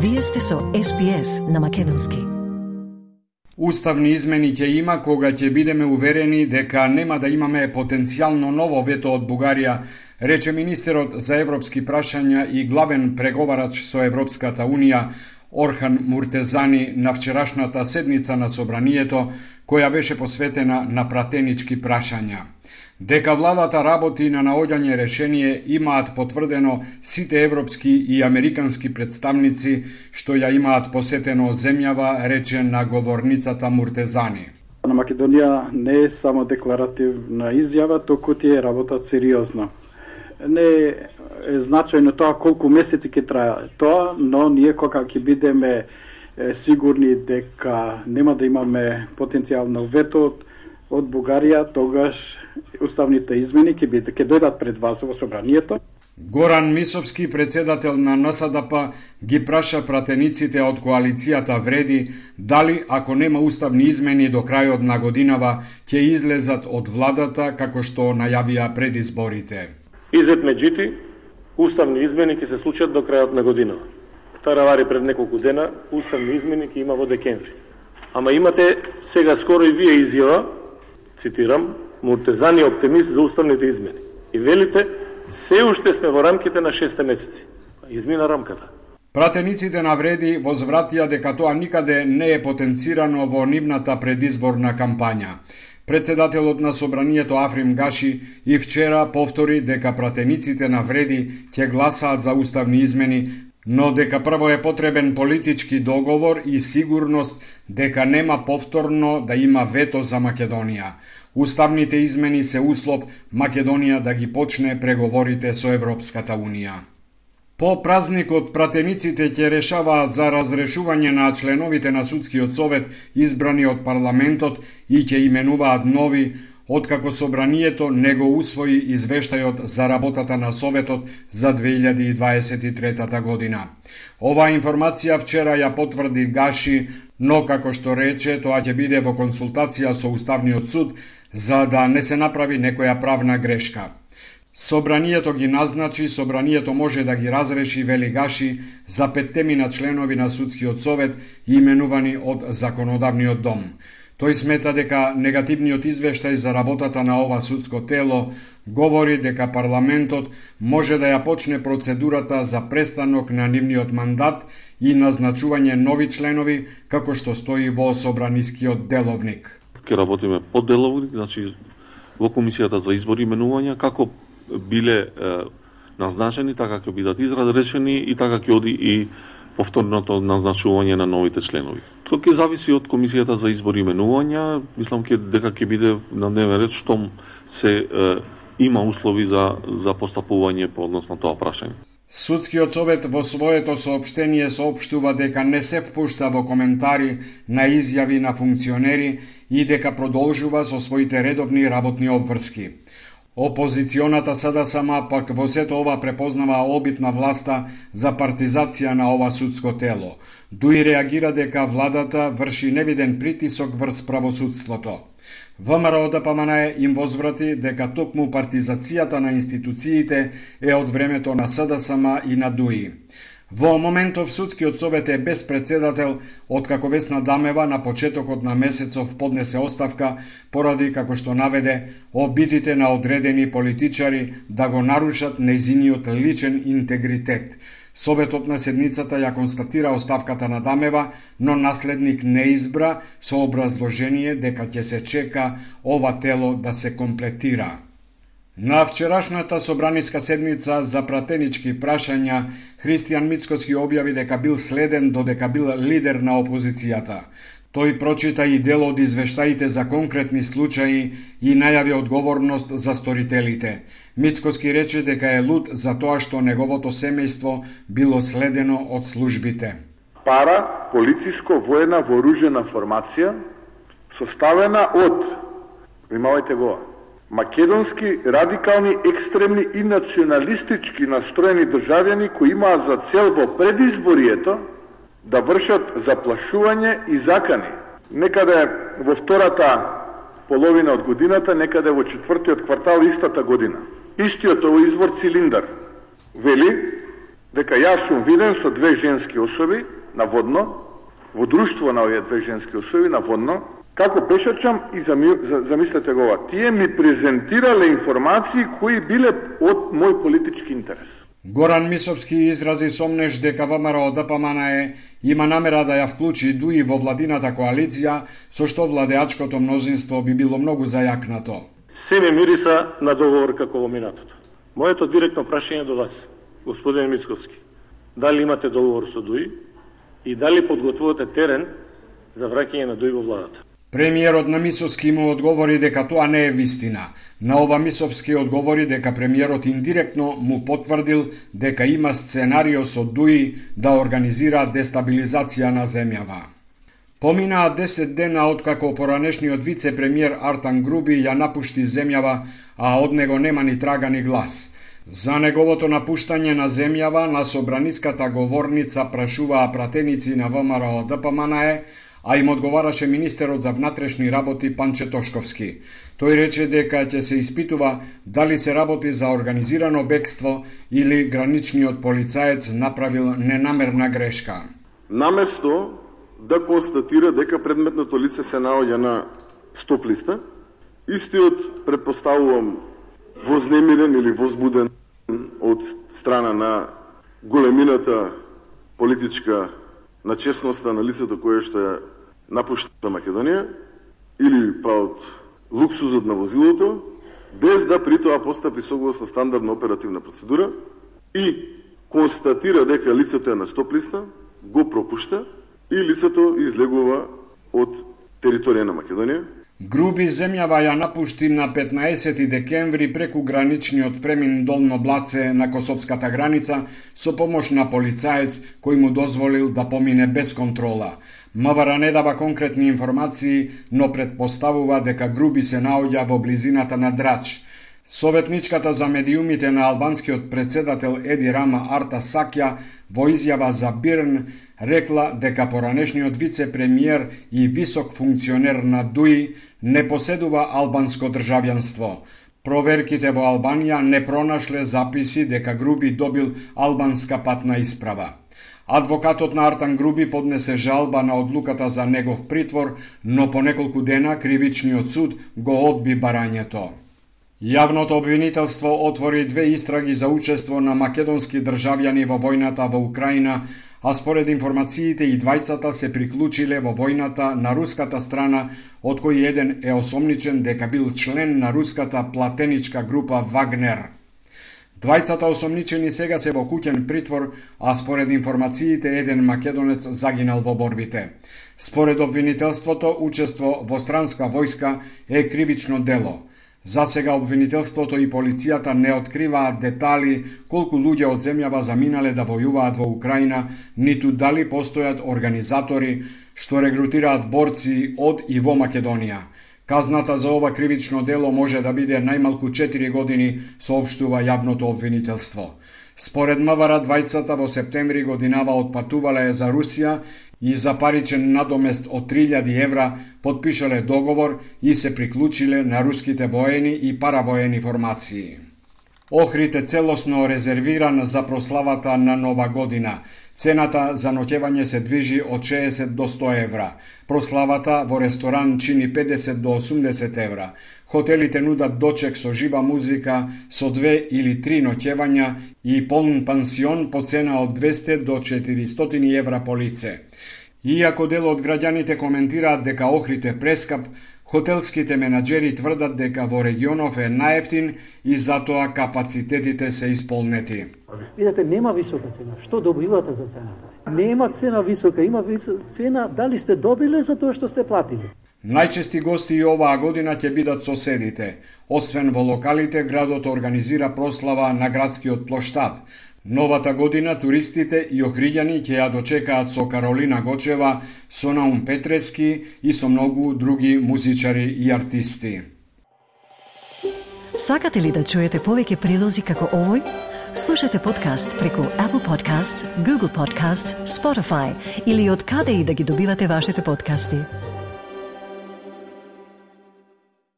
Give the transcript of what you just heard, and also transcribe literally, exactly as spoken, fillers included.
Вие сте со Ес Би Ес на македонски. Уставни измени ќе има кога ќе бидеме уверени дека нема да имаме потенцијално ново вето од Бугарија, рече министерот за европски прашања и главен преговарач со Европската Унија Орхан Муртезани на вчерашната седница на Собранието, која беше посветена на пратенички прашања. Дека владата работи на наоѓање решение имаат потврдено сите европски и американски представници што ја имаат посетено земјава, рече на говорницата Муртезани. На Македонија не е само декларативна изјава, току ти е работат сериозно. Не е значајно тоа колку месеци ќе трае тоа, но ние кога ќе бидеме сигурни дека нема да имаме потенцијално вето од Бугарија, тогаш уставните измени ќе биде ќе дојдат пред вас во собранието. Горан Мисовски, председател на Н С Д П, ги праша пратениците од коалицијата Вреди дали ако нема уставни измени до крајот на годинава ќе излезат од владата како што најавија пред изборите. Изет меѓути, уставни измени ќе се случат до крајот на годинава. Таравари пред неколку дена, уставни измени ќе има во декември. Ама имате сега скоро и вие изјава, цитирам, Муртезани е оптимист за уставните измени. И велите, се уште сме во рамките на шест месеци. Измина рамката. Пратениците на Вреди возвратија дека тоа никаде не е потенцирано во нивната предизборна кампања. Председателот на Собранието Африм Гаши и вчера повтори дека пратениците на Вреди ќе гласаат за уставни измени, но дека прво е потребен политички договор и сигурност дека нема повторно да има вето за Македонија. Уставните измени се услов Македонија да ги почне преговорите со Европската Унија. По празникот пратениците ќе решаваат за разрешување на членовите на судскиот совет избрани од парламентот и ќе именуваат нови, откако Собранието не го усвои извештајот за работата на Советот за две илјади и дваесет и трета година. Оваа информација вчера ја потврди Гаши, но како што рече, тоа ќе биде во консултација со Уставниот суд за да не се направи некоја правна грешка. Собранието ги назначи, Собранието може да ги разреши, вели Гаши, за петтемина членови на судскиот совет именувани од законодавниот дом. Тој смета дека негативниот извештај за работата на ова судско тело говори дека парламентот може да ја почне процедурата за престанок на нивниот мандат и назначување нови членови, како што стои во Собранискиот деловник. Ке работиме по деловник, значи во комисијата за избор и именувања, како биле е, назначени, така ќе бидат изразрешени и така ќе оди и повторното назначување на новите членови. Тоа ќе зависи од комисијата за избор и именувања, мислам ке дека ќе биде на дневен ред штом се е, има услови за за постапување по однос на тоа прашање. Судскиот совет во своето соопштение соопштува дека не се впушта во коментари на изјави на функционери и дека продолжува со своите редовни работни обврски. Опозиционата С Д С М пак во сето ова препознава обид на власта за партизација на ова судско тело. Дуи реагира дека владата врши невиден притисок врз правосудството. В М Р О Д П М Н им возврати дека токму партизацијата на институциите е од времето на С Д С М и на Дуи. Во моментов судскиот совет е без председател, откако Весна Дамева на почетокот на месецов поднесе оставка поради, како што наведе, обидите на одредени политичари да го нарушат нејзиниот личен интегритет. Советот на седницата ја констатира оставката на Дамева, но наследник не избра со образложение дека ќе се чека ова тело да се комплетира. На вчерашната собраниска седница за пратенички прашања, Христијан Мицкоски објави дека бил следен додека бил лидер на опозицијата. Тој прочита и дел од извештаите за конкретни случаи и најави одговорност за сторителите. Мицкоски рече дека е луд за тоа што неговото семејство било следено од службите. Пара полициско воена вооружена формација составена од, внимавајте го, македонски радикални, екстремни и националистички настроени државјани кои имаат за цел во предизборието да вршат заплашување и закани. Некаде во втората половина од годината, некаде во четвртиот квартал истата година. Истиот овој извор Цилиндар вели дека јас сум виден со две женски особи наводно, во друштво на овие две женски особи наводно, како пешачам и зами, замислете го ова, тие ми презентирале информации кои биле од мој политички интерес. Горан Мисовски изрази сомнеж дека ВМРО Д П М Н Е има намера да ја вклучи ДУИ во владината коалиција, со што владеачкото мнозинство би било многу зајакнато. Се ме мириса на договор како во минатото. Моето директно прашање до вас, господин Мицковски, дали имате договор со ДУИ и дали подготвувате терен за враќање на ДУИ во владата? Премиерот на Мисовски му одговори дека тоа не е вистина. На ова Мисовски одговори дека премиерот индиректно му потврдил дека има сценарио со ДУИ да организира дестабилизација на земјава. Поминаа десет дена откако поранешниот вице-премиер Артан Груби ја напушти земјава, а од него нема ни трага ни глас. За неговото напуштање на земјава на собраниската говорница прашуваа пратеници на ВМРО Д П М Н Е, а им одговараше министерот за внатрешни работи Панче Тошковски. Тој рече дека ќе се испитува дали се работи за организирано бегство или граничниот полицаец направил ненамерна грешка. Наместо да констатира дека предметното лице се наоѓа на стоп листа, истиот, предпоставувам, вознемирен или возбуден од страна на големината политичка на честноста на лицето кое што ја напушта Македонија, или па од луксузот на возилото, без да при тоа постапи согласно стандардна оперативна процедура и констатира дека лицето е на стоп листа, го пропушта и лицето излегува од територија на Македонија. Груби земјава ја напушти на петнаесети декември преку граничниот премин Долно Блаце на косовската граница со помош на полицаец кој му дозволил да помине без контрола. МВР не дава конкретни информации, но предпоставува дека Груби се наоѓа во близината на Драч. Советничката за медиумите на албанскиот председател Еди Рама Арта Сакја во изјава за Бирн рекла дека поранешниот вице-премиер и висок функционер на ДУИ не поседува албанско државјанство. Проверките во Албанија не пронашле записи дека Груби добил албанска патна исправа. Адвокатот на Артан Груби поднесе жалба на одлуката за негов притвор, но по неколку дена кривичниот суд го одби барањето. Јавното обвинителство отвори две истраги за учество на македонски државјани во војната во Украина, а според информациите и двајцата се приклучиле во војната на руската страна, од кој еден е осомничен дека бил член на руската платеничка група Вагнер. Двајцата осомничени сега се во куќен притвор, а според информациите еден македонец загинал во борбите. Според обвинителството, учество во странска војска е кривично дело. За сега обвинителството и полицијата не откриваат детали колку луѓе од земјава заминале да војуваат во Украина, ниту дали постојат организатори што регрутираат борци од и во Македонија. Казната за ова кривично дело може да биде најмалку четири години, соопштува јавното обвинителство. Според МВР, двајцата во септември годинава отпатувале за Русија и за паричен надомест од три илјади евра потпишале договор и се приклучиле на руските воени и паравоени формации. Охрид е целосно резервиран за прославата на Нова година. Цената за ноќевање се движи од шеесет до сто евра. Прославата во ресторан чини педесет до осумдесет евра. Хотелите нудат дочек со жива музика, со две или три ноќевања и полн пансион по цена од двесте до четиристотини евра по лице. Иако дел од граѓаните коментираат дека Охрид е прескап, хотелските менаџери тврдат дека во регионов е најефтин и затоа капацитетите се исполнети. Видете, нема висока цена. Што добивате за цената? Нема цена висока, има висока цена дали сте добиле за тоа што сте платили. Најчести гости и оваа година ќе бидат соседите. Освен во локалите, градот организира прослава на градскиот плоштад. Новата година туристите и охриѓани ќе ја дочекаат со Каролина Гочева, со Наум Петрески и со многу други музичари и артисти. Сакате ли да чуете повеќе прилози како овој? Слушате подкаст преку Apple Podcasts, Google Podcasts, Spotify или од каде и да ги добивате вашите подкасти.